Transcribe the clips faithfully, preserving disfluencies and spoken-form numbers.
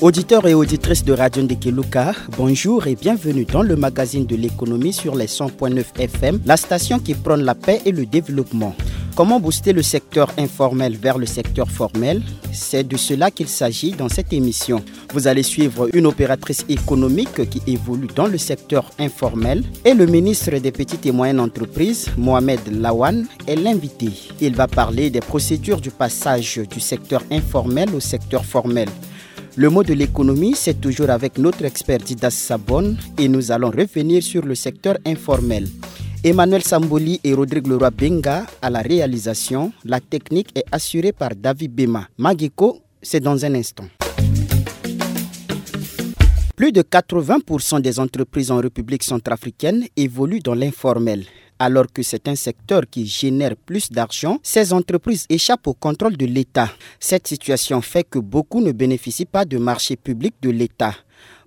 Auditeurs et auditrices de Radio Ndekeluka, bonjour et bienvenue dans le magazine de l'économie sur les cent point neuf F M, la station qui prône la paix et le développement. Comment booster le secteur informel vers le secteur formel ? C'est de cela qu'il s'agit dans cette émission. Vous allez suivre une opératrice économique qui évolue dans le secteur informel et le ministre des petites et moyennes entreprises, Mohamed Lawan, est l'invité. Il va parler des procédures du passage du secteur informel au secteur formel. Le mot de l'économie, c'est toujours avec notre expert Didas Sabon et nous allons revenir sur le secteur informel. Emmanuel Samboli et Rodrigue Leroy Benga à la réalisation. La technique est assurée par David Bema. Magiko, c'est dans un instant. Plus de quatre-vingts pour cent des entreprises en République centrafricaine évoluent dans l'informel. Alors que c'est un secteur qui génère plus d'argent, ces entreprises échappent au contrôle de l'État. Cette situation fait que beaucoup ne bénéficient pas de marché public de l'État.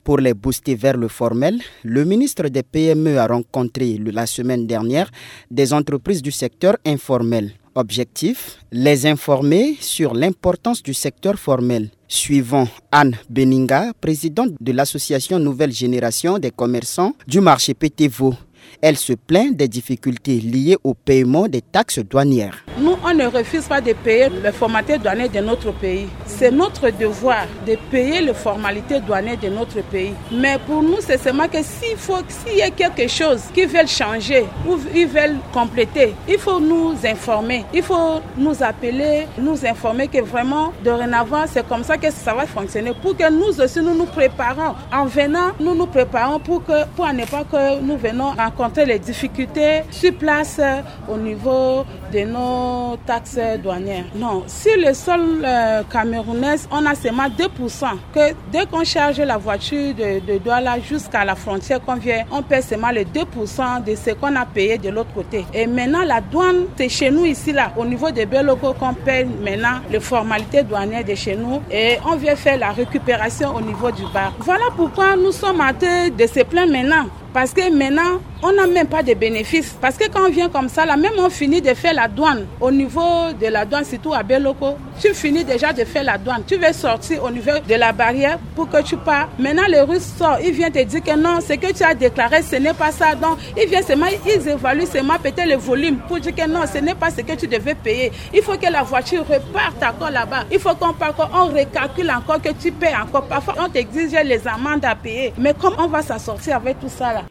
Pour les booster vers le formel, le ministre des P M E a rencontré le- la semaine dernière des entreprises du secteur informel. Objectif, les informer sur l'importance du secteur formel. Suivant Anne Beninga, présidente de l'association Nouvelle Génération des commerçants du marché P T V O, elle se plaint des difficultés liées au paiement des taxes douanières. Nous, on ne refuse pas de payer les formalités douanières de notre pays. C'est notre devoir de payer les formalités douanières de notre pays. Mais pour nous, c'est seulement que s'il faut, s'il y a quelque chose qu'ils veulent changer ou ils veulent compléter, il faut nous informer. Il faut nous appeler, nous informer que vraiment, dorénavant, c'est comme ça que ça va fonctionner. Pour que nous aussi, nous nous préparons. En venant, nous nous préparons pour que, pour ne pas que nous venons rencontrer les difficultés sur place, euh, au niveau de nos taxes douanières. Non, sur le sol, euh, camerounais, on a seulement deux pour cent. Que dès qu'on charge la voiture de, de Douala jusqu'à la frontière qu'on vient, on paie seulement les deux pour cent de ce qu'on a payé de l'autre côté. Et maintenant, la douane, c'est chez nous ici, là, au niveau de Beloko, qu'on paie maintenant les formalités douanières de chez nous. Et on vient faire la récupération au niveau du bar. Voilà pourquoi nous sommes en train de se plaindre maintenant. Parce que maintenant, on n'a même pas de bénéfice. Parce que quand on vient comme ça, là, même on finit de faire la douane au niveau de la douane, surtout à Beloko, tu finis déjà de faire la douane. Tu veux sortir au niveau de la barrière pour que tu pars. Maintenant, les Russes sortent, ils viennent te dire que non, ce que tu as déclaré, ce n'est pas ça. Donc, ils viennent seulement, ils évaluent seulement peut-être le volume pour dire que non, ce n'est pas ce que tu devais payer. Il faut que la voiture reparte encore là-bas. Il faut qu'on parte, on recalcule encore, que tu paies encore. Parfois, on t'exige les amendes à payer. Mais comment on va s'en sortir avec tout ça là ?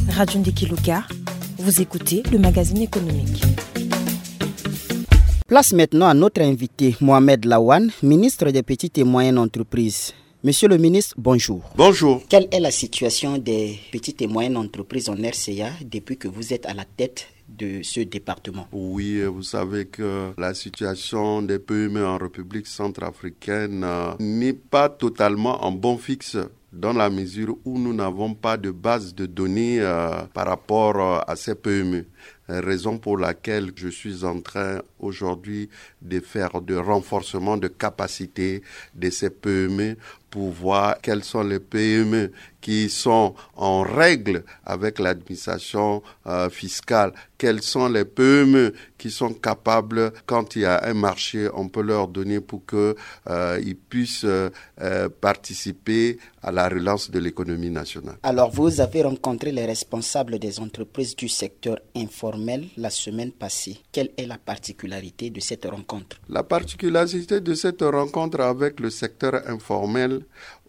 Radio Ndekeluka, vous écoutez le magazine économique. Place maintenant à notre invité, Mohamed Lawan, ministre des petites et moyennes entreprises. Monsieur le ministre, bonjour. Bonjour. Quelle est la situation des petites et moyennes entreprises en R C A depuis que vous êtes à la tête de ce département ? Oui, euh, vous savez que la situation des P M E en République centrafricaine, euh, n'est pas totalement en bon fixe, dans la mesure où nous n'avons pas de base de données, euh, par rapport, euh, à ces P M E. Raison pour laquelle je suis en train aujourd'hui de faire de renforcement de capacité de ces P M E pour voir quelles sont les P M E qui sont en règle avec l'administration, euh, fiscale, quelles sont les P M E qui sont capables, quand il y a un marché, on peut leur donner pour que, euh, ils puissent, euh, euh, participer à la relance de l'économie nationale. Alors, vous avez rencontré les responsables des entreprises du secteur informel la semaine passée. Quelle est la particularité de cette rencontre ? La particularité de cette rencontre avec le secteur informel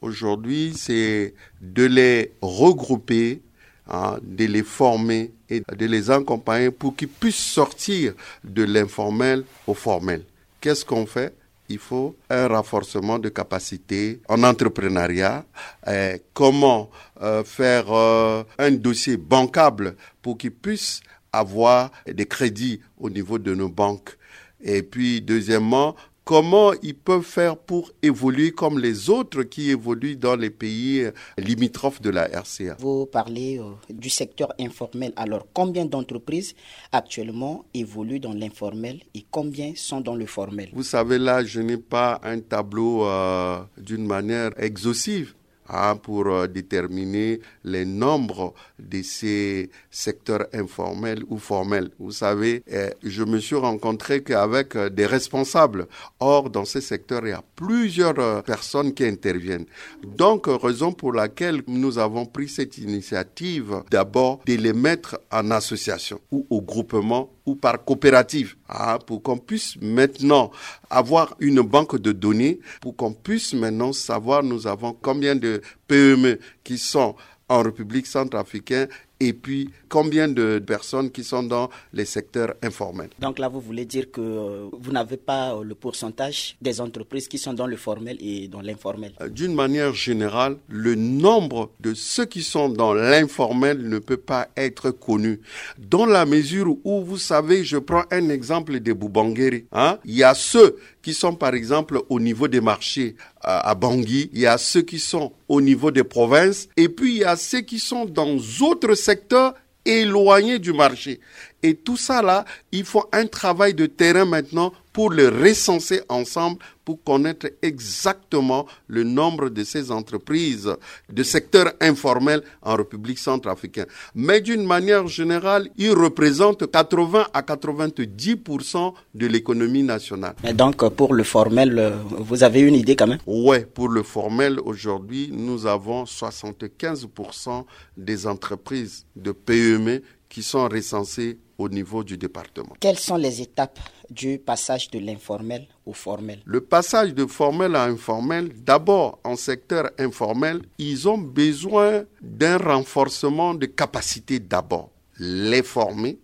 aujourd'hui, c'est de les regrouper, hein, de les former et de les accompagner pour qu'ils puissent sortir de l'informel au formel. Qu'est-ce qu'on fait ? Il faut un renforcement de capacité en entrepreneuriat. Euh, comment, euh, faire, euh, un dossier bancable pour qu'ils puissent avoir des crédits au niveau de nos banques ? Et puis, deuxièmement, comment ils peuvent faire pour évoluer comme les autres qui évoluent dans les pays, euh, limitrophes de la R C A ? Vous parlez, euh, du secteur informel. Alors, combien d'entreprises actuellement évoluent dans l'informel et combien sont dans le formel ? Vous savez, là, je n'ai pas un tableau, euh, d'une manière exhaustive. hein, pour euh, déterminer les nombres de ces secteurs informels ou formels. Vous savez, euh, je me suis rencontré qu'avec euh, des responsables. Or, dans ces secteurs, il y a plusieurs euh, personnes qui interviennent. Donc, euh, raison pour laquelle nous avons pris cette initiative, d'abord de les mettre en association ou au groupement ou par coopérative, hein, pour qu'on puisse maintenant avoir une banque de données, pour qu'on puisse maintenant savoir nous avons combien de P M E qui sont en République centrafricaine et puis combien de personnes qui sont dans les secteurs informels. Donc là, vous voulez dire que euh, vous n'avez pas euh, le pourcentage des entreprises qui sont dans le formel et dans l'informel ? Euh, d'une manière générale, le nombre de ceux qui sont dans l'informel ne peut pas être connu. Dans la mesure où, vous savez, je prends un exemple de Boubanguéré, hein. Il y a ceux qui sont, par exemple, au niveau des marchés euh, à Bangui, il y a ceux qui sont au niveau des provinces, et puis il y a ceux qui sont dans d'autres secteurs éloignés du marché. Et tout ça là, il faut un travail de terrain maintenant pour les recenser ensemble, pour connaître exactement le nombre de ces entreprises de secteur informel en République centrafricaine. Mais d'une manière générale, ils représentent quatre-vingts à quatre-vingt-dix pour cent de l'économie nationale. Et donc, pour le formel, euh, vous avez une idée quand même ? Ouais, pour le formel, aujourd'hui, nous avons soixante-quinze pour cent des entreprises de P M E qui sont recensées au niveau du département. Quelles sont les étapes du passage de l'informel au formel ? Le passage de formel à informel, d'abord en secteur informel, ils ont besoin d'un renforcement de capacités d'abord. Les former,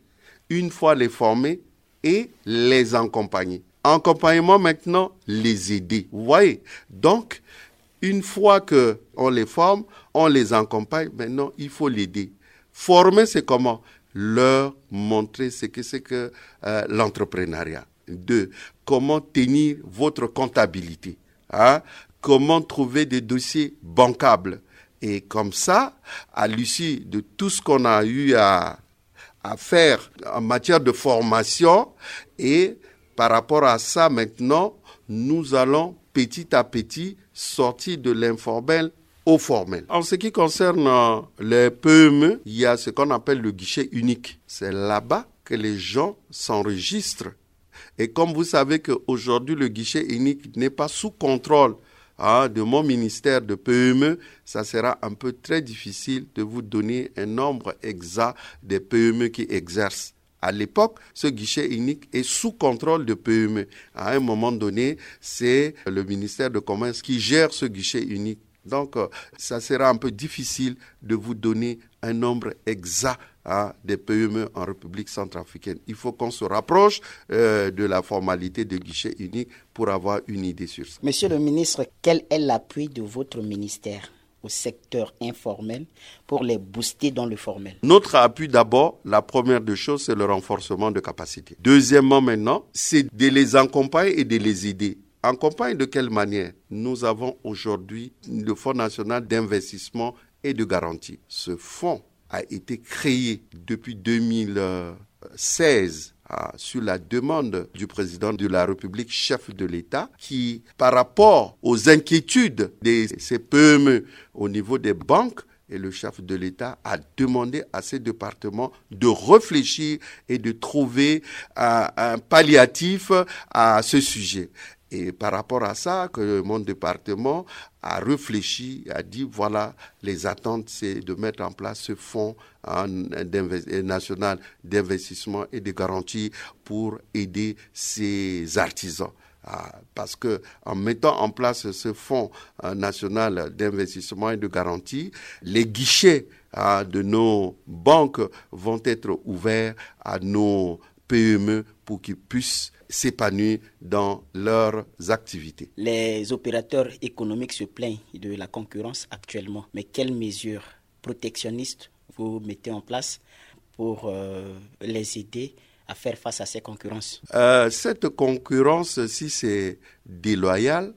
une fois les formés, et les accompagner. Accompagnement maintenant, les aider. Vous voyez ? Donc, une fois que on les forme, on les accompagne, maintenant, il faut l'aider. Former, c'est comment ? Leur montrer ce que c'est que euh, l'entrepreneuriat. Deux, comment tenir votre comptabilité, hein ? Comment trouver des dossiers bancables. Et comme ça, à l'issue de tout ce qu'on a eu à à faire en matière de formation. Et par rapport à ça, maintenant, nous allons petit à petit sortir de l'informel au formel. En ce qui concerne euh, les P M E, il y a ce qu'on appelle le guichet unique. C'est là-bas que les gens s'enregistrent. Et comme vous savez qu'aujourd'hui, le guichet unique n'est pas sous contrôle hein, de mon ministère de P M E, ça sera un peu très difficile de vous donner un nombre exact des P M E qui exercent. À l'époque, ce guichet unique est sous contrôle de P M E. À un moment donné, c'est le ministère de Commerce qui gère ce guichet unique. Donc, euh, ça sera un peu difficile de vous donner un nombre exact hein, des P M E en République centrafricaine. Il faut qu'on se rapproche euh, de la formalité de guichet unique pour avoir une idée sur ça. Monsieur le ministre, quel est l'appui de votre ministère au secteur informel pour les booster dans le formel ? Notre appui d'abord, la première des choses, c'est le renforcement de capacités. Deuxièmement maintenant, c'est de les accompagner et de les aider. Accompagner de quelle manière ? Nous avons aujourd'hui le Fonds national d'investissement et de garantie. Ce fonds a été créé depuis deux mille seize hein, sur la demande du président de la République, chef de l'État, qui, par rapport aux inquiétudes de ces P M E au niveau des banques, et le chef de l'État a demandé à ces départements de réfléchir et de trouver un, un palliatif à ce sujet. Et par rapport à ça, que mon département a réfléchi, a dit, voilà, les attentes, c'est de mettre en place ce fonds hein, national d'investissement et de garantie pour aider ces artisans. Ah, parce que en mettant en place ce fonds euh, national d'investissement et de garantie, les guichets ah, de nos banques vont être ouverts à nos P M E pour qu'ils puissent s'épanouir dans leurs activités. Les opérateurs économiques se plaignent de la concurrence actuellement. Mais quelles mesures protectionnistes vous mettez en place pour euh, les aider à faire face à ces concurrences ? Euh, cette concurrence, si c'est déloyal,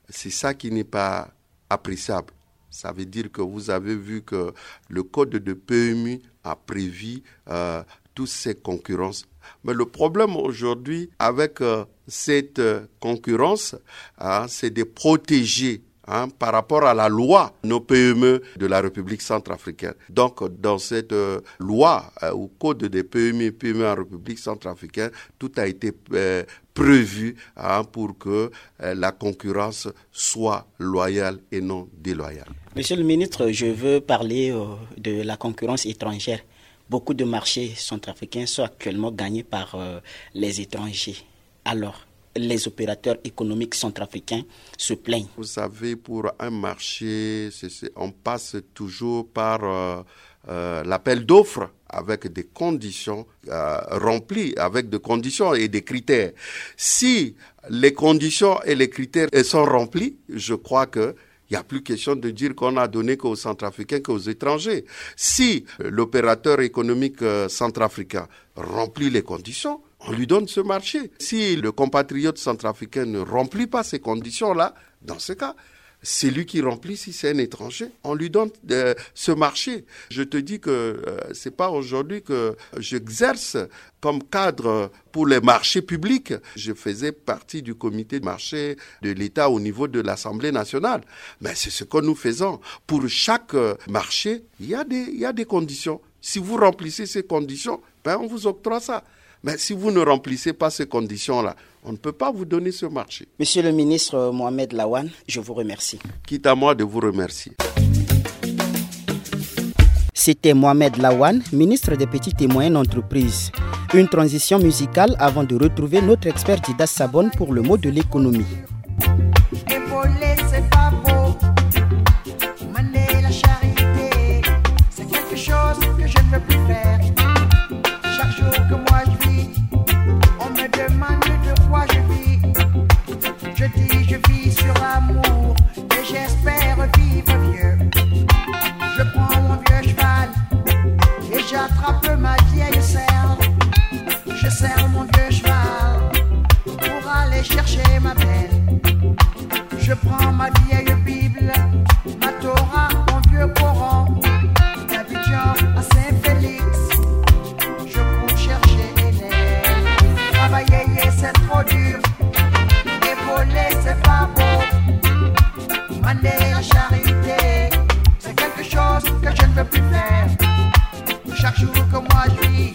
c'est ça qui n'est pas appréciable. Ça veut dire que vous avez vu que le code de P M U a prévu euh, toutes ces concurrences. Mais le problème aujourd'hui avec euh, cette euh, concurrence, hein, c'est de protéger hein, par rapport à la loi, nos P M E de la République centrafricaine. Donc, dans cette euh, loi euh, ou code des P M E et P M E en République centrafricaine, tout a été euh, prévu, hein, pour que euh, la concurrence soit loyale et non déloyale. Monsieur le ministre, je veux parler euh, de la concurrence étrangère. Beaucoup de marchés centrafricains sont actuellement gagnés par euh, les étrangers. Alors, les opérateurs économiques centrafricains se plaignent. Vous savez, pour un marché, c'est, c'est, on passe toujours par euh, euh, l'appel d'offres avec des conditions euh, remplies, avec des conditions et des critères. Si les conditions et les critères sont remplis, je crois que il n'y a plus question de dire qu'on a donné qu'aux Centrafricains, qu'aux étrangers. Si euh, l'opérateur économique euh, centrafricain remplit les conditions, on lui donne ce marché. Si le compatriote centrafricain ne remplit pas ces conditions-là, dans ce cas, c'est lui qui remplit, si c'est un étranger, on lui donne euh, ce marché. Je te dis que euh, c'est pas aujourd'hui que j'exerce comme cadre pour les marchés publics. Je faisais partie du comité de marché de l'État au niveau de l'Assemblée nationale. Mais c'est ce que nous faisons. Pour chaque euh, marché, il y a des, il y a des conditions. Si vous remplissez ces conditions, ben on vous octroie ça. Mais si vous ne remplissez pas ces conditions-là, on ne peut pas vous donner ce marché. Monsieur le ministre Mohamed Lawan, je vous remercie. Quitte à moi de vous remercier. C'était Mohamed Lawan, ministre des Petites et Moyennes Entreprises. Une transition musicale avant de retrouver notre expert Dida Sabon pour le mot de l'économie. Épauler, c'est pas beau. Mander la charité, c'est quelque chose que je ne veux plus faire. Chaque jour que moi je vis, on me demande de quoi je vis. Je dis, je vis sur l'amour et j'espère vivre vieux. Je prends mon vieux cheval et j'attrape ma vieille selle. Je serre mon vieux cheval pour aller chercher ma belle. Je prends ma vieille Bible, ma Torah, mon vieux Coran. D'Abidjan à Saint-Félix, je cours chercher Hélène. Travailler, c'est trop dur. Épauler, c'est pas beau. Mander la charité, c'est quelque chose que je ne veux plus faire. Chaque jour que moi je vis,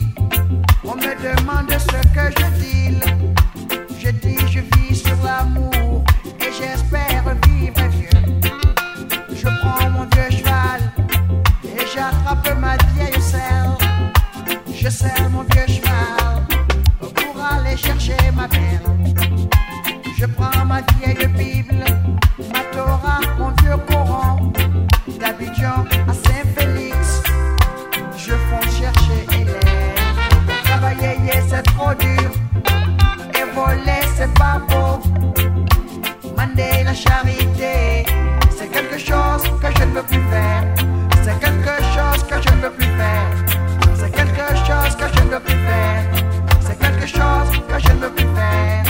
on me demande ce que je deal. Je dis, je vis sur l'amour et j'espère vivre vieux. Je prends mon vieux cheval et j'attrape ma vieille selle. Je serre mon vieux cheval pour aller chercher ma belle. Je prends ma vieille Bible, ma Torah, mon vieux Coran. D'Abidjan à Saint-Félix, je fonce chercher Hélène. Travailler, c'est trop dur. Et voler, c'est pas beau. Mander la charité, c'est quelque chose que je ne veux plus faire. C'est quelque chose que je ne veux plus faire. C'est quelque chose que je ne veux plus faire. C'est quelque chose que je ne veux plus faire.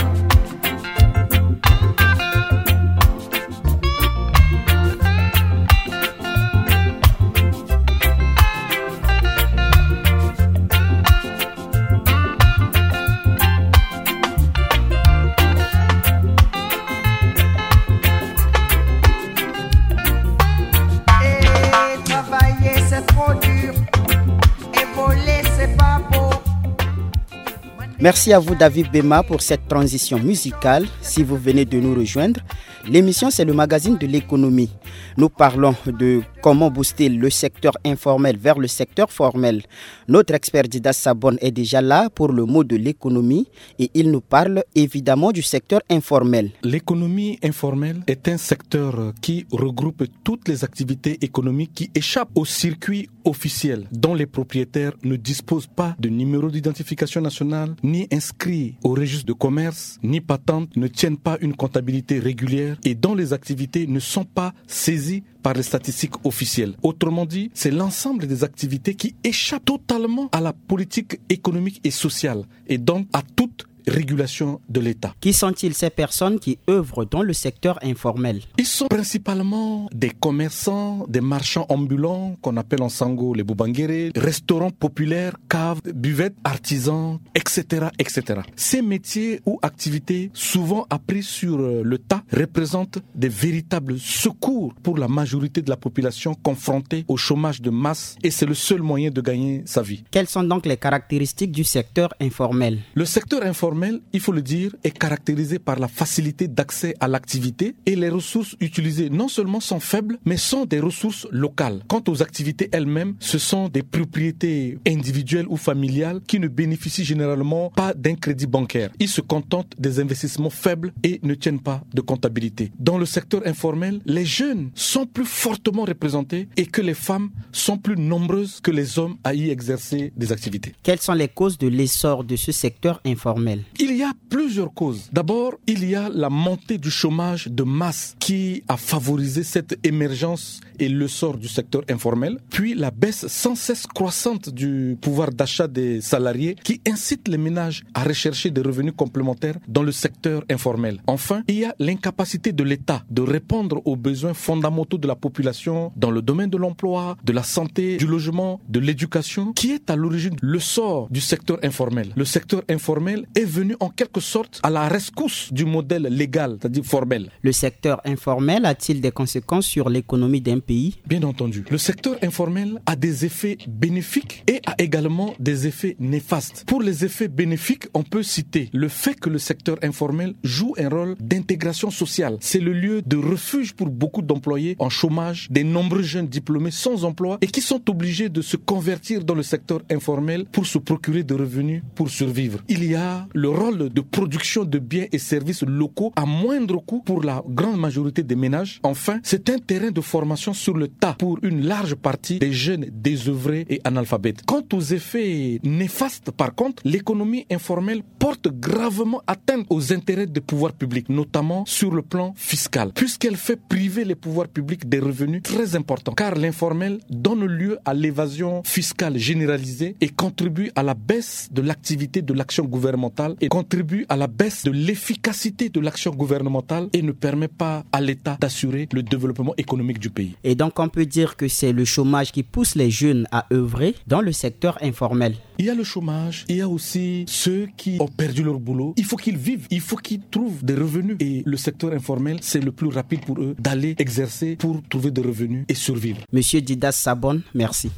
Merci à vous, David Bema, pour cette transition musicale. Si vous venez de nous rejoindre, l'émission, c'est le magazine de l'économie. Nous parlons de comment booster le secteur informel vers le secteur formel. Notre expert Dida Sabon est déjà là pour le mot de l'économie et il nous parle évidemment du secteur informel. L'économie informelle est un secteur qui regroupe toutes les activités économiques qui échappent au circuit officiel, dont les propriétaires ne disposent pas de numéro d'identification nationale, ni inscrits au registre de commerce, ni patente, ne tiennent pas une comptabilité régulière et dont les activités ne sont pas saisies par les statistiques officielles. Autrement dit, c'est l'ensemble des activités qui échappent totalement à la politique économique et sociale et donc à toute régulation de l'État. Qui sont-ils, ces personnes qui œuvrent dans le secteur informel ? Ils sont principalement des commerçants, des marchands ambulants qu'on appelle en sango les boubangérés, restaurants populaires, caves, buvettes, artisans, et cetera, et cetera. Ces métiers ou activités, souvent appris sur, euh, le tas, représentent des véritables secours pour la majorité de la population confrontée au chômage de masse, et c'est le seul moyen de gagner sa vie. Quelles sont donc les caractéristiques du secteur informel ? Le secteur informel, il faut le dire, est caractérisé par la facilité d'accès à l'activité, et les ressources utilisées non seulement sont faibles, mais sont des ressources locales. Quant aux activités elles-mêmes, ce sont des propriétés individuelles ou familiales qui ne bénéficient généralement pas d'un crédit bancaire. Ils se contentent des investissements faibles et ne tiennent pas de comptabilité. Dans le secteur informel, les jeunes sont plus fortement représentés et que les femmes sont plus nombreuses que les hommes à y exercer des activités. Quelles sont les causes de l'essor de ce secteur informel ? Il y a plusieurs causes. D'abord, il y a la montée du chômage de masse qui a favorisé cette émergence et l'essor du secteur informel, puis la baisse sans cesse croissante du pouvoir d'achat des salariés qui incite les ménages à rechercher des revenus complémentaires dans le secteur informel. Enfin, il y a l'incapacité de l'État de répondre aux besoins fondamentaux de la population dans le domaine de l'emploi, de la santé, du logement, de l'éducation, qui est à l'origine le sort du secteur informel. Le secteur informel est venu en quelque sorte à la rescousse du modèle légal, c'est-à-dire formel. Le secteur informel a-t-il des conséquences sur l'économie d'un pays ? Bien entendu. Le secteur informel a des effets bénéfiques et a également des effets néfastes. Pour les effets bénéfiques, on peut citer le fait que le secteur informel joue un rôle d'intégration sociale. C'est le lieu de refuge pour beaucoup d'employés en chômage, des nombreux jeunes diplômés sans emploi et qui sont obligés de se convertir dans le secteur informel pour se procurer des revenus pour survivre. Il y a le rôle de production de biens et services locaux à moindre coût pour la grande majorité des ménages. Enfin, c'est un terrain de formation sur le tas pour une large partie des jeunes désœuvrés et analphabètes. Quant aux effets néfastes, par contre, l'économie informelle porte gravement atteinte aux intérêts des pouvoirs publics, notamment sur le plan fiscal, puisqu'elle fait priver les pouvoirs publics des revenus très importants, car l'informel donne lieu à l'évasion fiscale généralisée et contribue à la baisse de l'activité de l'action gouvernementale et contribue à la baisse de l'efficacité de l'action gouvernementale et ne permet pas à l'État d'assurer le développement économique du pays. Et donc, on peut dire que c'est le chômage qui pousse les jeunes à œuvrer dans le secteur informel. Il y a le chômage, il y a aussi ceux qui ont perdu leur boulot. Il faut qu'ils vivent, il faut qu'ils trouvent des revenus. Et le secteur informel, c'est le plus rapide pour eux d'aller exercer pour trouver des revenus et survivre. Monsieur Didas Sabon, merci.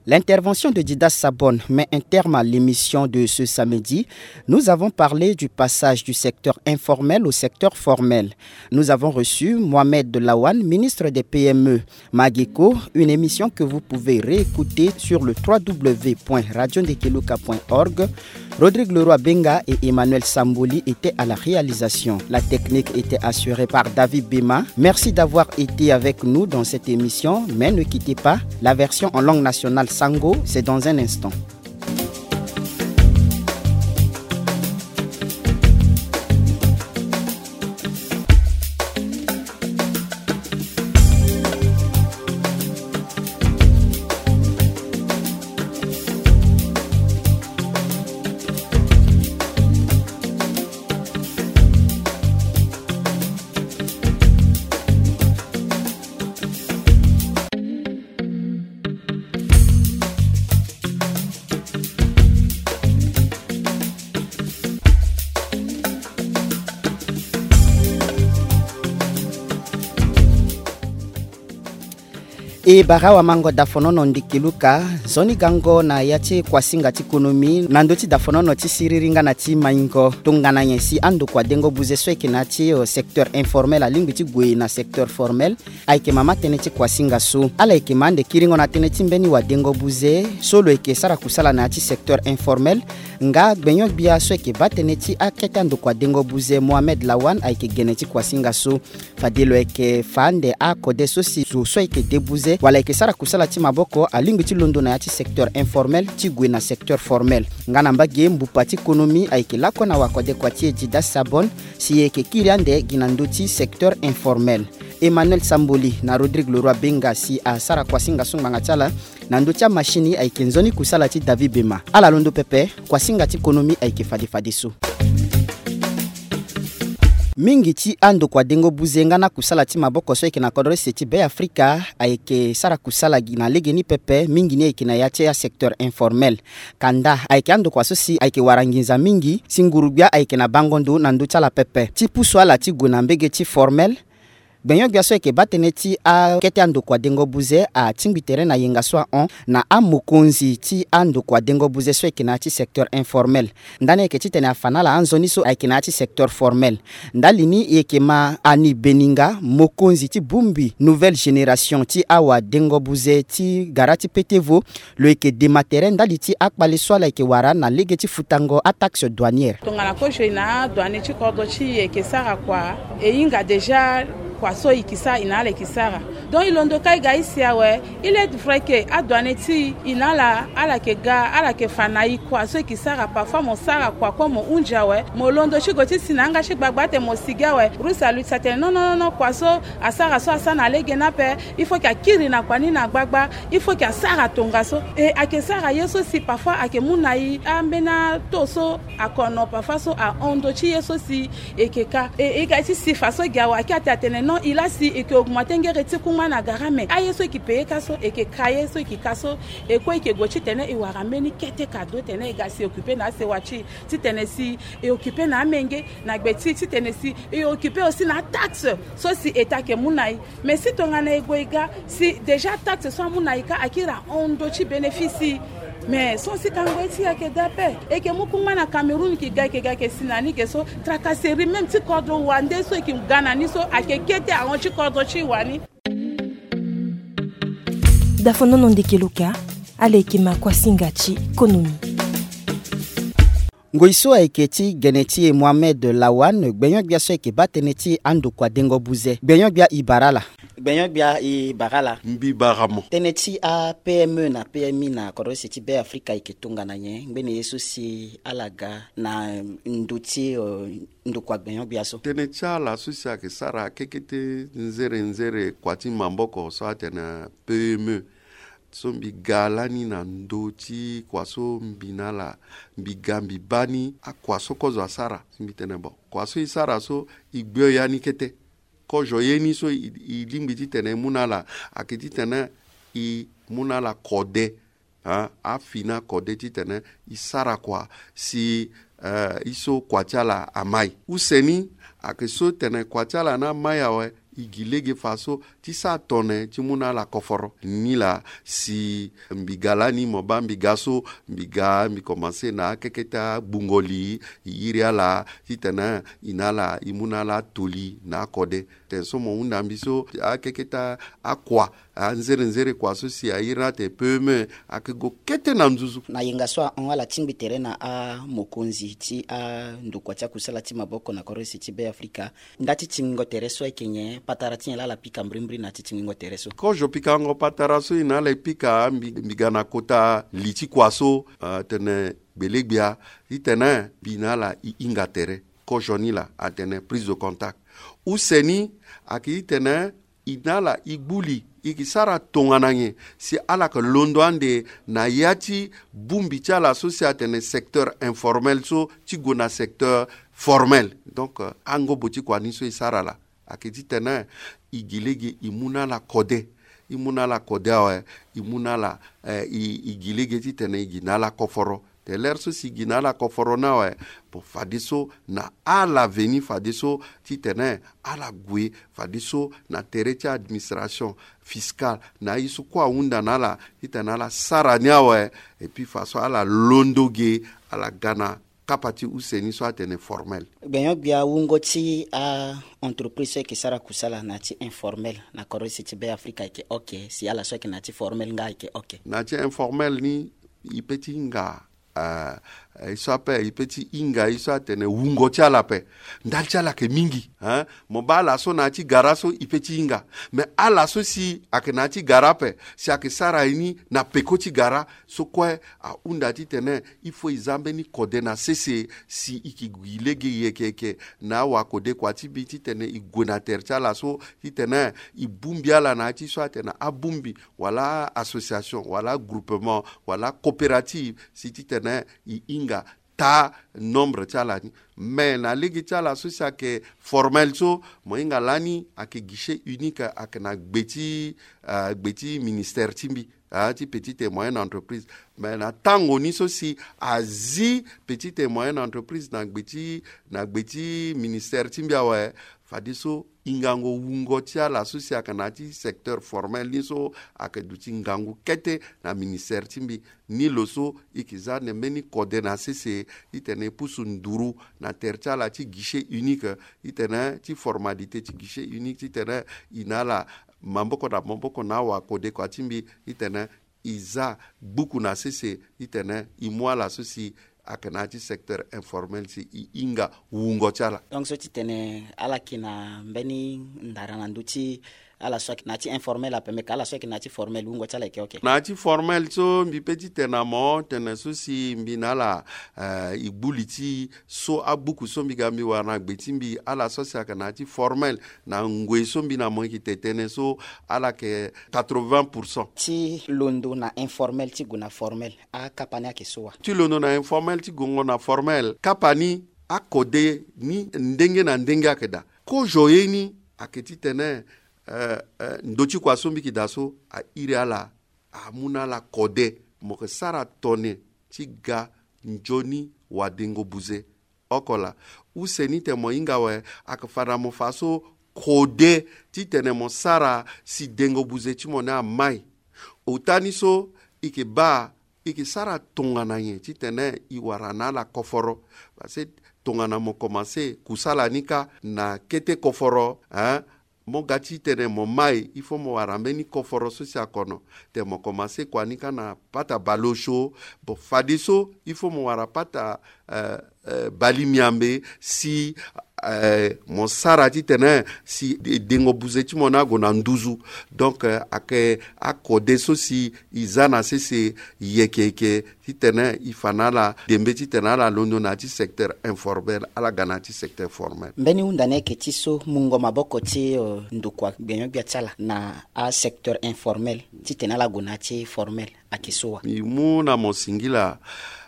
L'intervention de Didas Sabon met un terme à l'émission de ce samedi. Nous avons parlé du passage du secteur informel au secteur formel. Nous avons reçu Mohamed Lawan, ministre des P M E. Mageko, une émission que vous pouvez réécouter sur le trois W point radio ndekeluka point org. Rodrigue Leroy Benga et Emmanuel Samboli étaient à la réalisation. La technique était assurée par David Bema. Merci d'avoir été avec nous dans cette émission, mais ne quittez pas. La version en langue nationale Sango, c'est dans un instant. E bara wamango dafonono ndiki luka, nzoni gango na ya ti kuasinga ti konomi na ndö ti dafonono ti siriri nga na ti maingo. Tongana nyen si andokua dengo buze so ayeke na ya ti, eh, secteur informel alingbi ti gue na secteur formel? Ayeke mama tënë ti kuasinga so. Ala yeke ma ande kiringo na tënë ti mbeni wadengo buze so lo yeke sara kusala na ya ti secteur informel. Nga gbenyo-gbia so yeke baa tënë ti akete andokua dengo buze Mohamed Lawan ayeke gene ti kuasinga so. Fade lo yeke fa ande akode so si zo so ayeke de buze wala ayeke sara kusala ti maboko alingbi ti londo na ya ti secteur informel ti gue na secteur formel. Nga na mbage mbupa ti konomi ayeke lakue na wakode kua ti e Dida Sabon si e yeke kiri ande gi na ndö ti secteur informel. Emmanuel Samboli na Rodrigue Leroy Benga si asara kuasinga so ngbanga ti ala. Na ndö ti amachine ayeke nzoni kusala ti David Bema. Ala londo pepe, kuasinga ti konomi ayeke fade fadeso. Mingi ti andokua dengo buze nga na kusala ti maboko so ayeke na kodro ese ti Be Afrika ayeke sara kusala gi na legeni pepe, mingi ni ayeke na ya ti asecteur informel. Kanda ayeke andokua so si ayeke wara nginza mingi si nguru-gbia ayeke na bango ndo na ndö ti ala pepe. Ti pusu ala ti gue na mbege ti formel, gbenyo-gbia so ayeke baa tënë ti akete andokua dengo buze atingbi tere na yenga so ahon na amokonzi ti andokua dengo buze so ayeke na ya ti secteur informel. Ndani ayeke titene afa na ala anzoni so ayeke na ya ti secteur formel. Ndali ni e yeke ma Annie Beninga, mokonzi ti bongbi nouvelle génération ti awadengo buze ti gara ti petevo, lo yeke dema tere ndali ti akpale so ala yeke wara na lege ti futango ataxe douanière. Tongana kozo e na adouane ti kodro ti e yeke sara kua, e hinga déjà kua so e yeke sara, e na ala e yeke sara. Donc e londo kâ e ga e si awe, il est vrai que adouane ti e, e na ala, ala yeke ga, ala yeke fa na e kua so e yeke sara. Parfois mo sara kua kue mo hunzi awe, mo londo ti gue ti si na yanga ti gbagba ate mo sigi awe. Russe aluti atene non, non, non, non, kua so asara so asara na lege ni ape. Il faut que akiri na kua ni na gbagba. Il faut que asara tongaso. E ayeke sara ye so si parfois ayeke mu na e ambeni ato so akono, parfois so ahon ndö ti ye so si e yeke ka. E, e ga ti si faso gi awe, ayeke ate atene non, e la si e yeke augmenter ngere ti kungba na gara, mais aye so e yeke payer ka so, e yeke ka ye so e yeke ka so. E kue e yeke gue titene e wara mbeni kete cadeau tene e ga si e occuper na asewa ti e, titene si e occuper na amenge na gbe ti e, titene si e occuper aussi na ataxe so si État ayeke mu na e. Mais si tongana e gue e ga si déjà taxe so amu na e kâ akiri ahon ndö ti bénéfice. Mais so si kango ye ti e ayeke daa ape. E yeke mu kungba na Cameroun, e yeke ga, e yeke ga, e yeke si na ni ge so. Tracasserie même ti kodro wande so e yeke ga na ni so ayeke kete ahon ti kodro ti e wani. Dafonono ndeke lo ka, ala yeke ma kuasinga ti konomi. Ngoi so ayeke ti gene ti e Mohamed Lawan, gbenyo-gbia so ayeke baa tënë ti andokua dengo buze. Gbenyo-gbia, e bara ala. Gbenyo-gbia, e bara ala. Mbi bara mo. Tënë ti a P M E na P M I na kodro ese ti Be Afrika ayeke tongana nyen? Ngbene ye so si ala ga na ndö ti, eh, ndokua gbenyo-gbia so? Tënë ti ala so si ayeke sara kekete nzere nzere kua ti maboko so atene P M E. So mbi ga lani na ndö ti kua so mbi na ala, mbi ga mbi baa ni akua so kozo asara. Si mbi tene bon, kua so e sara so e gbio ya ni kete. Kozo ye ni so e, e lingbi titene e mu na ala, ayeke titene e mu na ala kode. Ah, afini akode titene e sara kua si, eh, e so kua ti ala amai. Use ni, ayeke so tene kua ti ala ni amai awe, e gi lege fa so ti sara tone ti mu na ala koforo. Ni laa si mbi ga lani mo baa mbi ga so, mbi ga mbi komanse na akekete agbungo li, e iri ala titene e na ala e mu na ala atoli na akode. Tene so mo hunda mbi so akekete akua, anzere nzere kua so si a iri ni atene P M E, ayeke gue kete na nduzu. Na yenga so ahon, ala tingbi tere na amokonzi ti andokua ti akusala ti maboko na kodro ese ti Be Afrika. Nda ti tingbingo tere so ayeke nyen? Patara ti nyen laa ala pika mbrimbri na ti tingbingo tere so? Kozo pikango patara so e na ala e pika, mbi, mbi ga na kota li ti kua so, ah, tene gbelegbia, titene mbi na ala e hinga tere. Kozo ni laa atene prise de contact. Use ni, ayeke titene e na ala e gbu li, e yeke sara tongana nyen si ala yeke londo ande na ya ti bongbi ti ala so si atene secteur informel so ti gue na secteur formel. Donc, eh, angobo ti kua ni so e sara laa ayeke titene e gi lege e mu na ala kode. E mu na ala kode awe, e mu na ala, eh, e, e gi lege titene e gi na ala koforo. Te lere so si e gi na ala koforo ni awe, bon, fadeso na ala veni fadeso titene ala gue fadeso na tere ti administration fiscale, na aye so kue ahunda na ala titene ala sara ni awe. Et puis faso ala londo ge, ala ga na kapa ti use ni so atene formel. Gbenyo-gbia, wungo ti a-entreprise so ayeke sara kusala na ya ti informel na kodro ese ti Be Afrika ayeke oke, si ala so ayeke na ya ti formel nga ayeke oke? Na ya ti informel ni, e pe ti hinga, ah, Eh, e so ape e pe ti hinga e so atene wungo ti ala ape. Ndali ti ala ayeke mingi, hein. Mo baa ala so na ya ti gara so e pe ti hinga. Mais ala so si ayeke na ya ti gara ape, si ayeke sara ye ni na peko ti gara so kue, ahunda titene il faut e za mbeni kode na sese si e ke gi lege yeke yeke na awakodekua ti mbi titene e gue na tere ti ala so, titene e bongbi ala na ya ti so atene abongbi wala association wala groupement wala coopérative si titene e hinga taa nombre ti ala ni. Mais na lege ti ala so si ayeke formel so, mo hinga lani ayeke guichet unique, ayeke na gbe ti, euh, gbe ti ministère ti mbi, ah, ti petite et moyenne entreprise. Mais na tango ni so si azi petite et moyenne entreprise na gbe ti, na gbe ti ministère ti mbi awe, fadeso hingango wungo ti ala so si ayeke na ya ti secteur formel ni so ayeke duti ngangu kete na ministère ti mbi. Ni lo so e ke za na mbeni kode na sese, titene e pusu nduru na tere ti ala ti guichet unique, titene ti formalité ti guichet unique, titene e na ala maboko na maboko na awakodekua ti mbi, titene e za gbuku na sese, titene e mu ala so si ayeke na ya ti secteur informel si e hinga wungo ti ala. Donc so ti tene ala yeke na mbeni ndara na ndö ti ala so ayeke na ya ti informel ape, me ka ala so ayeke na ya ti formel wungo ti ala yeke oke? Na ya ti formel so mbi pe ti tene na mo tene so si mbi na ala, eh, e gbu li ti so agbuku so mbi ga mbi wara na gbe ti mbi, ala so si ayeke na ya ti formel na ngoi so mbi na mo yeke tene tënë so, ala yeke quatre-vingts pour cent. Ti londo na informel ti gue na formel, akapa ni ayeke so wa? Ti londo na informel ti gongo na formel, kapa ni akode ni ndenge na ndenge ayeke daa. Kozo ye ni ayeke titene, eh, eh, ndö ti kua so mbi yeke daa so airi ala, amu na ala kode. Mo yeke sara tone ti ga nzoni wadengo buze oko laa. Use ni tene mo hinga awe, ayeke fa na mo fa so kode titene mo sara si dengo buze ti mo ni amai. Ota ni so e yeke baa e yeke sara tongana nyen titene e wara na ala koforo. Parce que tongana mo komanse kusala ni kâ na kete koforo, hein, mo ga titene mo mai, il faut mo wara mbeni koforo so si akono. Tene mo komanse kua ni kâ na pata bale osio. Bon, fadeso il faut mo wara pata, euh, euh, bale miambe si, euh, mo sara titene si de-, dengo buze ti mo ni ague na nduzu. Donc, euh, ayeke akode so si e za na sese yeke yeke titene e fa na ala dembe titene ala londo na ya ti secteur informel, ala ga na ya ti secteur formel. Mbeni hunda ni ayeke ti so mungo maboko ti, euh, ndokua gbenyo-gbia ti ala na asecteur informel titene ala gue na ya ti formel ayeke so wa? E mu na mo singila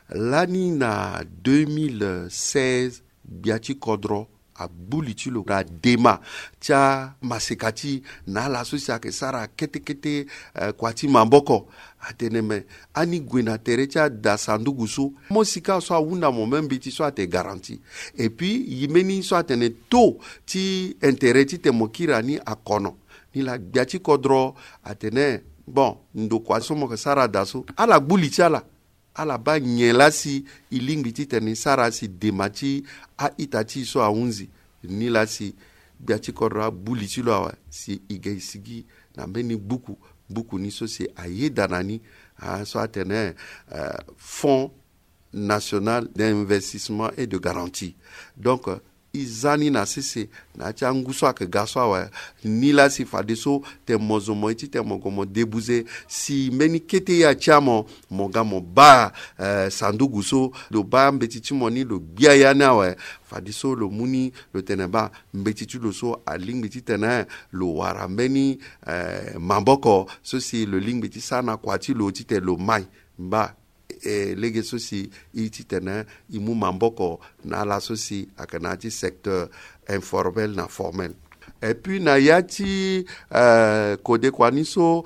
lani na deux mille seize, gbia ti kodro agbu li ti lo na dema ti amaseka ti e na ala so si ayeke sara kete kete, eh, kua ti maboko. Atene me ani gue na tere ti ada sanduku so, mo sika so ahunda mo même mbeti so atene garantie. Et puis e mbeni so atene taux ti intérêt titene mo kiri na ni akono. Nilaa gbia ti kodro atene, bon, ndokua so mo yeke sara daa so, ala gbu li ti ala. Ala baa nyen laa si e lingbi titene e sara si dema ti a-ita ti e so ahunzi. Nilaa si gbia ti kodro agbu li ti lo awe si e ga e sigi na mbeni buku, buku ni so si ayeda na ni, ah, so atene, euh, Fonds National d'Investissement et de Garantie. Donc, euh, e za ni na sese na ya ti angu so ayeke ga so awe. Nilaa si fadeso tene mo zo mo ye titene mo gue mo debuze si mbeni kete ya ti amo, mo ga mo baa, eh, sanduku so, lo baa mbeti ti mo ni lo gbia ya ni awe. Fadeso lo mu ni lo tene baa mbeti ti lo so alingbi titene lo wara mbeni, eh, maboko so si lo lingbi ti sara na kua ti lo titene lo mai. Mba, eh, lege so si e titene e mu maboko na ala so si ayeke na ya ti secteur informel na formel. Et puis na ya ti, eh, kodekua ni so,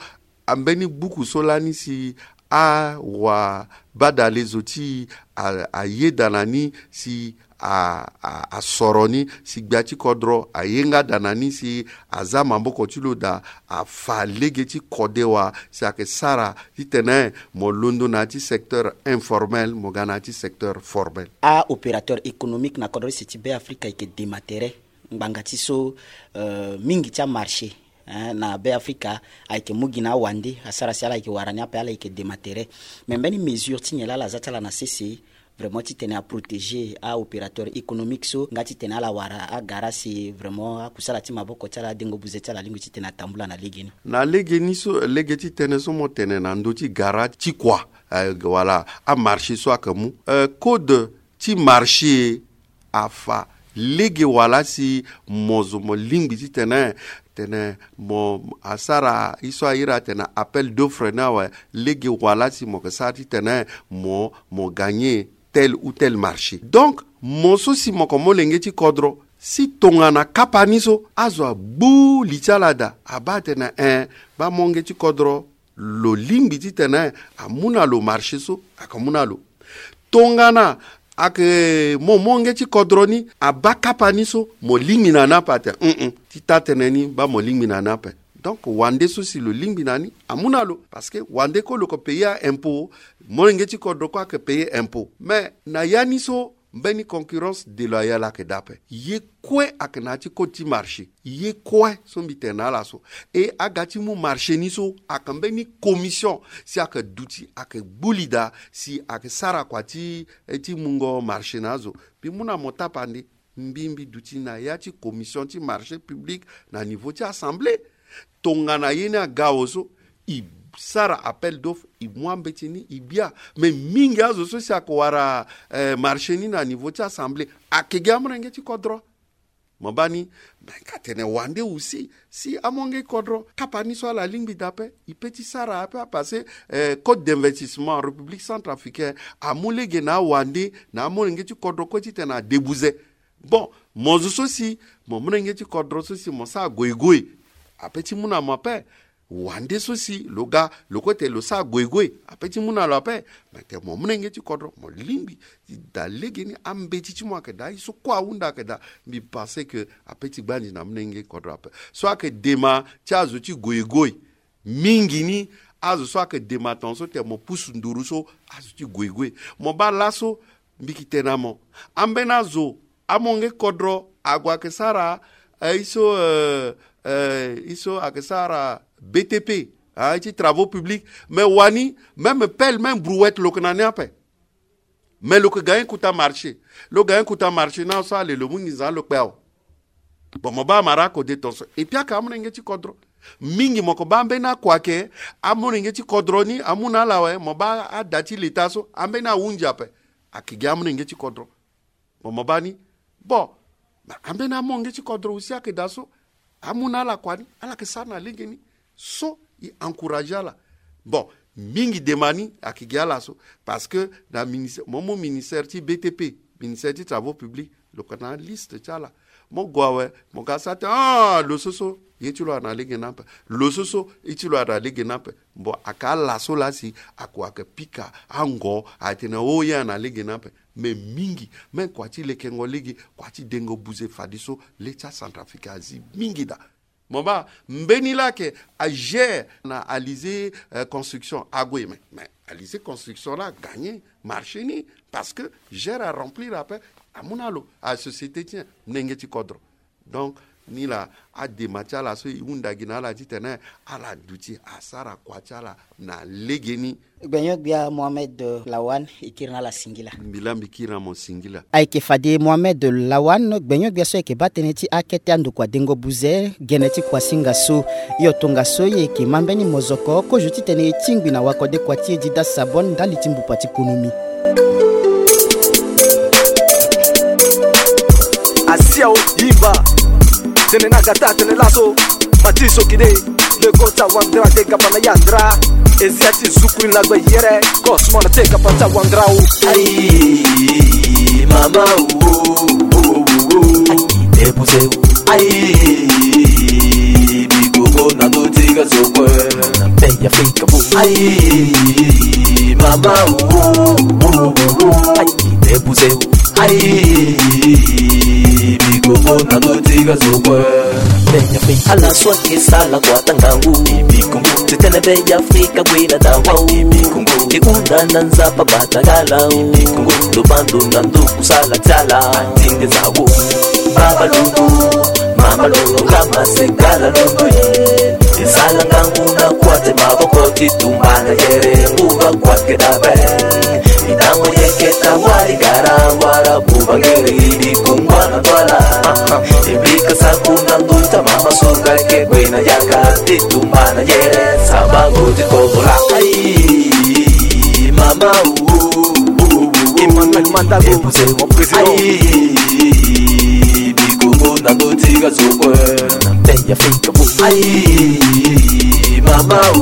ambeni buku so lani si awabadale zo ti e a, ayeda na ni si a, a, asoro ni si gbia ti kodro aye nga daa na ni si aza maboko ti lo daa, afa lege ti kode wa si ayeke sara titene mo londo na ya ti secteur informel mo ga na ya ti secteur formel. A-opérateur économique na kodro use ti Beafrika ayeke dema tere ngbanga ti so, euh, mingi ti amarché, hein, na Beafrika ayeke mu gi na awande asara si ala yeke wara ni ape, ala yeke dema tere. Me mbeni mesure ti nyen laa ala za ti ala na sese vraiment titene aprotégé aopérateur économique so nga titene ala wara agara si vraiment akusala ti maboko ti ala adengo buze ti ala alingbi titene atambula na lege ni. Na lege ni so lege ti tënë so mo tene na ndö ti gara ti kua, eh, wala amarché so ayeke mu, eh, code ti marché afa lege wala si mo zo mo lingbi titene tene mo asara ye so airi atene appel d'offre ni awe, lege wala si mo yeke sara titene mo mo gagner tel ou tel marché. Donc mo so si mo yeke molenge ti kodro si tongana kapa ni so azo agbu li ti ala daa abaa atene en, baa molenge ti kodro lo lingbi titene amu na lo marché so, ayeke mu na lo. Tongana ayeke mo molenge ti kodro ni abaa kapa ni so, mo lingbi na ni ape ate, mm, ti taa tënë ni baa mo lingbi na ni ape. Donc wande so si lo lingbi na ni amu na lo, parce que wande kue lo yeke payer aimpôt, molenge ti kodro kue ayeke payer aimpôt. Mais na ya ni so mbeni concurrence déloyale ayeke daa ape. Ye kue ayeke na ya ti code ti marché. Ye kue so mbi tene na ala so. E aga ti mu marché ni so ayeke mbeni commission si ayeke duti ayeke gbu li daa si ayeke sara kua ti, eh, ti mungo marché na azo. Mbi mu na mo tapande, mbi mbi duti na ya ti commission ti marché public na niveau ti assemblée. Tongana ye ni aga awe so, e sara appel d'offre, e mu ambeti ni e gbia. Mais mingi azo so si ayeke wara, eh, marché ni na niveau ti assemblée ayeke gi amolenge ti kodro. Mo baa ni, me ka tene wande aussi si amolenge ti kodro kapa ni so ala lingbi daa ape, e pe ti sara ape apassé, eh, code d'investissement République centrafricaine amu lege na awande na amolenge ti kodro kue titene adebuze. Bon, mo zo so si mo molenge ti kodro so si mo sara goigoi, ape ti mu na mo ape. Wande so si lo ga lo kue tene lo sara goigoi, ape ti mu na lo ape. Me tene mo molenge ti kodro mo lingbi ti daa lege ni, ambeti ti mo ayeke daa, ye so kue ahunda ayeke daa. Mbi pensé que ape ti gbandi na molenge ti kodro ape. So ayeke dema ti azo ti goigoi. Mingi ni azo so ayeke dema tongaso tene mo pusu nduru so azo ti goigoi. Mo baa laso mbi yeke tene na mo, ambeni azo amolenge ti kodro ague ayeke sara, eh, ye so, eh, eh, ye so ayeke sara B T P, ah, ye ti travaux publics. Mais wani, même pelle, même brouette lo yeke na ni ape. Mais lo yeke ga ye kota marché. Lo ga ye kota marché na so ale lo mu nginza lo kpe awe. Bon, mo baa amara akode tongaso. Et puis ayeke amolenge ti kodro. Mingi mo yeke baa ambeni akua ayeke amolenge ti kodro ni amu na ala awe, mo baa ada ti leta so ambeni ahunzi ape. Ayeke gi amolenge ti kodro. Bon, mo baa ni. Bon, ma ambeni amolenge ti kodro aussi ayeke daa so amu na ala kua ni, ala yeke sara na lege ni. So e encourager ala. Bon, mingi dema ni ayeke gi ala so. Parce que na ministère, mo mu ministère ti B T P, ministère ti travaux publics, lo yeke na aliste ti ala. Mo gue awe, mo ga sara tene, ah, lo so so ye ti lo ayeke na lege ni ape. Lo so so ye ti lo ayeke na lege ni ape. Bon, ayeke ala so laa si akua ayeke pika ango, atene o ye ayeke na lege ni ape. Mais mingi, même kua ti lekengo lege, kua ti dengo buze fadeso le ti aCentrafrique azi mingi daa. Mo baa, mbeni laa ayeke agère na Alizé, euh, Construction ague, mais, mais Alizé Construction laa agagner marché ni, parce que gère aremplir ape, amu na lo, asociété ti nyen? Molenge ti kodro. Donc ni laa adema ti ala so e hunda gi na ala titene ala duti asara kua ti ala na legeni. Gbenyo-gbia Mohamed Lawan, e kiri na ala singila. Mbi laa mbi kiri na mo singila. Ayeke fade Mohamed Lawan, gbenyo-gbia so ayeke baa tënë ti akete andokua dengo buze gene ti kuasinga so. Hio tongaso e yeke ma mbeni mozoko kozo titene e tingbi na wakode kua ti e Dida Sabon ndali ti mbupa ti konomi. Asiao yimba. Tene na gata tene laso. Mati sokide. Le kota wandra de gabana yandra. Ezia ti zukui na gbe yere. Kosmona te gabata wandra o. Ayi mama o. Ayi debuse o. Ayi bigogo na do tiga zokwe. Na mpe ya fika bo. Ayi mama o. Ayi debuse o. Ayi bigogo na do tiga zokwe. Ala so ayeke sala kua ti ngangu. Ti tene be ya Afrika gue na dawa o. E hunda na Nzapa bata gala o. Lo bando na ndo kusala ti ala. Tinde za wo. Baba lubu. Mama lo nga masekala lo ndoyi. E sala ngangu na kua ti maboko ti tumba na yere nguba kua ti ke dabe. E tango ye Keta wali gara wara buba ngere ibi kumba na twala. Ibi kasa kuna nduta mama suga ke gwe na yaka ti tumba na yere saba go ti kobola. Ai mama u. Emmanuel Mandago, mon président. Ai bikumbu na nduti ga zokwe. Na mpe ya fika. Ai mama u.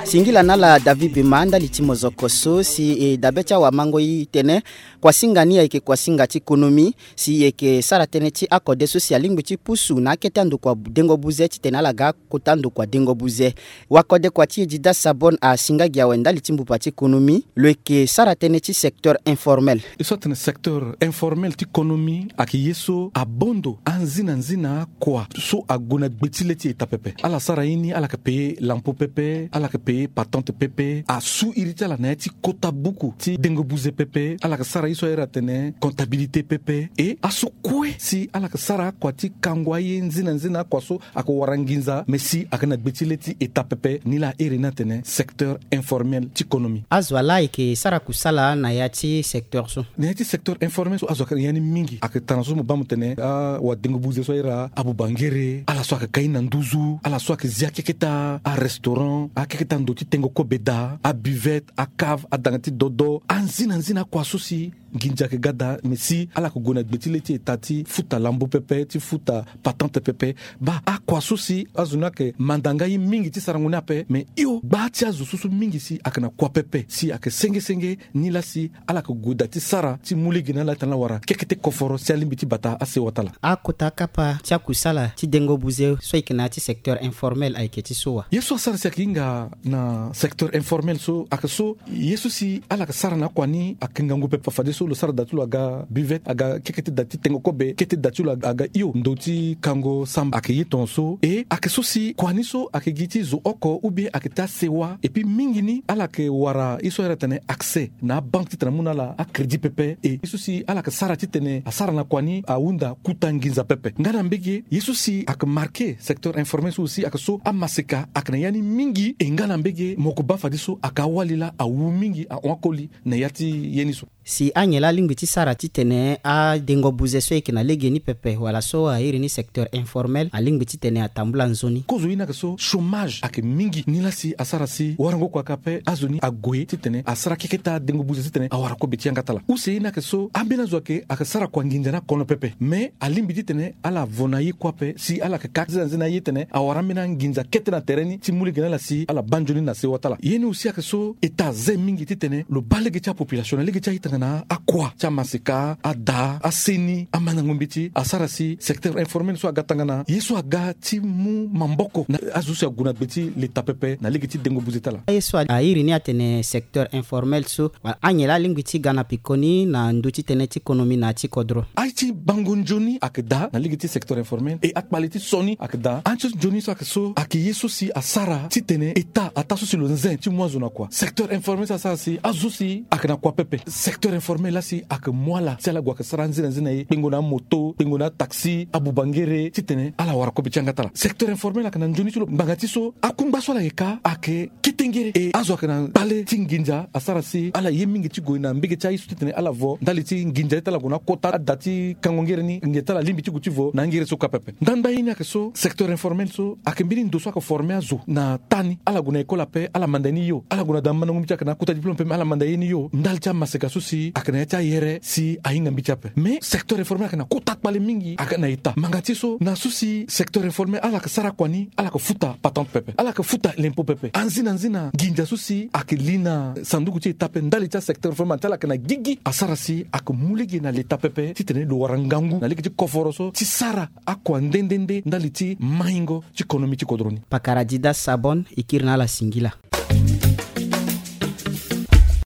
Singila na ala David Bema ndali ti mozoko so si e dabe ti awamango e tene kuasinga ni ayeke kuasinga ti konomi si e yeke sara tënë ti akode so si alingbi ti pusu na akete andokua dengo buze titene ala ga kota andokua dengo buze. Wakode kua ti e Dida Sabon asinga gi awe ndali ti mbupa ti konomi lo yeke sara tënë ti secteur informel. E so atene secteur informel ti konomi ayeke ye so abondo anzinanzina kua so ague na gbe ti le ti eta pepe. Ala sara ye ni, ala yeke paye lampo pepe, ala yeke paye patente pepe, asu iri ti ala na ya ti kota buku ti dengo buze pepe. Ala yeke sara ye so ahiri atene comptabilité pepe. E aso kue si ala yeke sara akua ti kango aye nzinanzina akua so ayeke wara nginza me si ayeke na gbe ti le ti eta pepe. Ni laa ahiri ni atene secteur informel ti konomi. Azo wa laa ayeke sara kusala na ya ti secteur so? Na ya ti secteur informel so azo ayeke na ya ni mingi. Ayeke tara so mo baa mo tene awadengo buze so ahiri abubangere, ala so ayeke kai na nduzu, ala so ayeke zi akeketa arestaurant, akeketa ndo ti tengo kobe daa, abuvette, acave, adanga ti dodo, anzinanzina akua so si nginza ayeke ga daa me si ala yeke gue na gbe ti le ti eta ti futa lambo pepe, ti futa patente pepe. Baa akua so si azo ni ayeke manda nga ye mingi ti sarango ni ape. Me hio gbaa ti azo so so mingi si ayeke na kua pepe si ayeke sengesenge ni laa si ala yeke gue daa ti sara ti mu lege na ala titene ala wara kekete koforo si alingbi ti bata asewa ti ala. Akota akapa ti akusala ti dengo buze so ayeke na ya ti secteur informel ayeke ti so wa? Ye so asara si ayeke hinga na secteur informel so ayeke so ye so si ala yeke sara na akua ni ayeke ngangu pepe. Fadeso lo sara daa ti lo aga buvette, aga kekete daa ti tengo kobe, kete daa ti lo aga hio ndo ti kango samba ayeke ye tongaso. E ayeke so si kua ni so ayeke gi ti zo oko ou bien ayeke ti asewa. Et puis mingi ni ala yeke wara ye so ahiri atene accès na abanque titene amu na ala acrédit pepe. E ye so si ala yeke sara titene asara na kua ni ahunda kuta nginza pepe. Nga na mbege ye so si ayeke marqué secteur informel so aussi ayeke so amaseka ayeke na ya ni mingi. E nga na mbege mo yeke baa fadeso ayeke awali laa awu mingi ahon akoli na ya ti ye ni so. Si anyen laa alingbi ti sara titene adengo buze so ayeke na legeni pepe wala so ahiri ni secteur informel alingbi titene atambula nzoni? Kozo ye ni ayeke so chômage ayeke mingi ni laa si asara si warango kua kâ ape azo ni ague titene asara keketa adengo buze titene awara kobe ti yanga ti ala. Use ye ni ayeke so ambeni azo ayeke ayeke sara kua nginza ni akono pepe. Mais alingbi titene ala vo na ye kue ape si ala yeke ka nzena nzena ye titene awara ambeni anginza kete na tere ni ti mu lege na ala si ala baa nzoni na sewa ti ala. Ye ni aussi ayeke so eta aze mingi titene lo baa lege ti apopulation na lege ti aye tongana akua ti amaseka, ada, aseni, amandango mbeti asara si secteur informel so aga tongana ye so aga ti mu maboko na azo so si ague na gbe ti leta pepe na lege ti dengo buze ti ala. Aye so ahiri ni atene secteur informel so wala anyen laa alingbi ti ga na pekoni na ndö ti tënë ti konomi na ya ti kodro? Aye ti bango nzoni ayeke daa na lege ti secteur informel. E akpale ti so ni ayeke daa. Aye ti nzoni so ayeke so ayeke ye so si asara titene eta ataa so si lo nze ti mu azo na kua. Secteur informel so asara si azo si ayeke na kua pepe. Secteur informel laa si ayeke mu ala si ala gue ayeke sara anzena nzena ye kpengo na amoto, kpengo na ataxi, abubangere titene ala wara kobe ti yanga ti ala. Secteur informel ayeke na nzoni ti lo ngbanga ti so akungba so ala yeke ka ayeke kete ngere. E azo ayeke na kpale ti nginza asara si ala ye mingi ti gue na mbege ti aye so titene ala vo ndali ti nginza ye ti ala gue na akota ada ti kango ngere ni nginza ti ala alingbi ti gue ti vo na angere so kâ pepe. Ndangbaa ye ni ayeke so secteur informel so ayeke mbeni ndo so ayeke forme azo na taa ni. Ala gue na école ape ala manda ye ni hio. Ala gue na da mandango mbeti ayeke na akota diplôme ape me ala manda ye ni hio ndali ti amaseka so si ayeke na ya ti ayere si ahinga mbeti ape. Mais secteur informel ayeke na kota kpale mingi ayeke na eta ngbanga ti so na so si secteur informel ala yeke sara kua ni ala yeke futa patente pepe, ala yeke futa lempo pepe. Anzina nzina nginza so si ayeke li na sanduku ti eta ape ndali ti asecteur informel ti ala yeke na gigi asara si ayeke mu lege na leta pepe titene lo wara ngangu na lege ti koforo so ti sara akua nde nde nde ndali ti maingo ti konomi ti kodro ni. Pakara Dida Sabon e kiri na ala singila.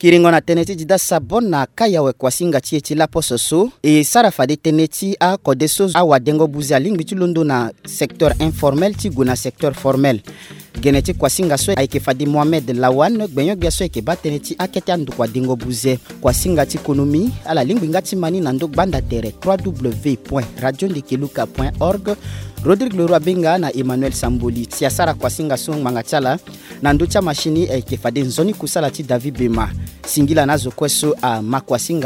Kiringo na tënë ti Dida Sabon na kai awe kuasinga ti e ti laposo so e sara fade tënë ti akode so awadengo buze alingbi ti londo na secteur informel ti gue na secteur formel. Gene ti kuasinga so ayeke fade Mohamed Lawan, gbenyo-gbia so ayeke baa tënë ti akete andokua dengo buze. Kuasinga ti konomi, ala lingbi nga ti ma ni na ndö gbanda tere trois w point radio ndekeluka point org. Rodrigue Leroy Benga na Emmanuel Samboli si asara kuasinga so ngbanga ti ala. Na ndö ti amasini ayeke fade nzoni kusala ti David Bema. Singila na azo kue so ama kuasinga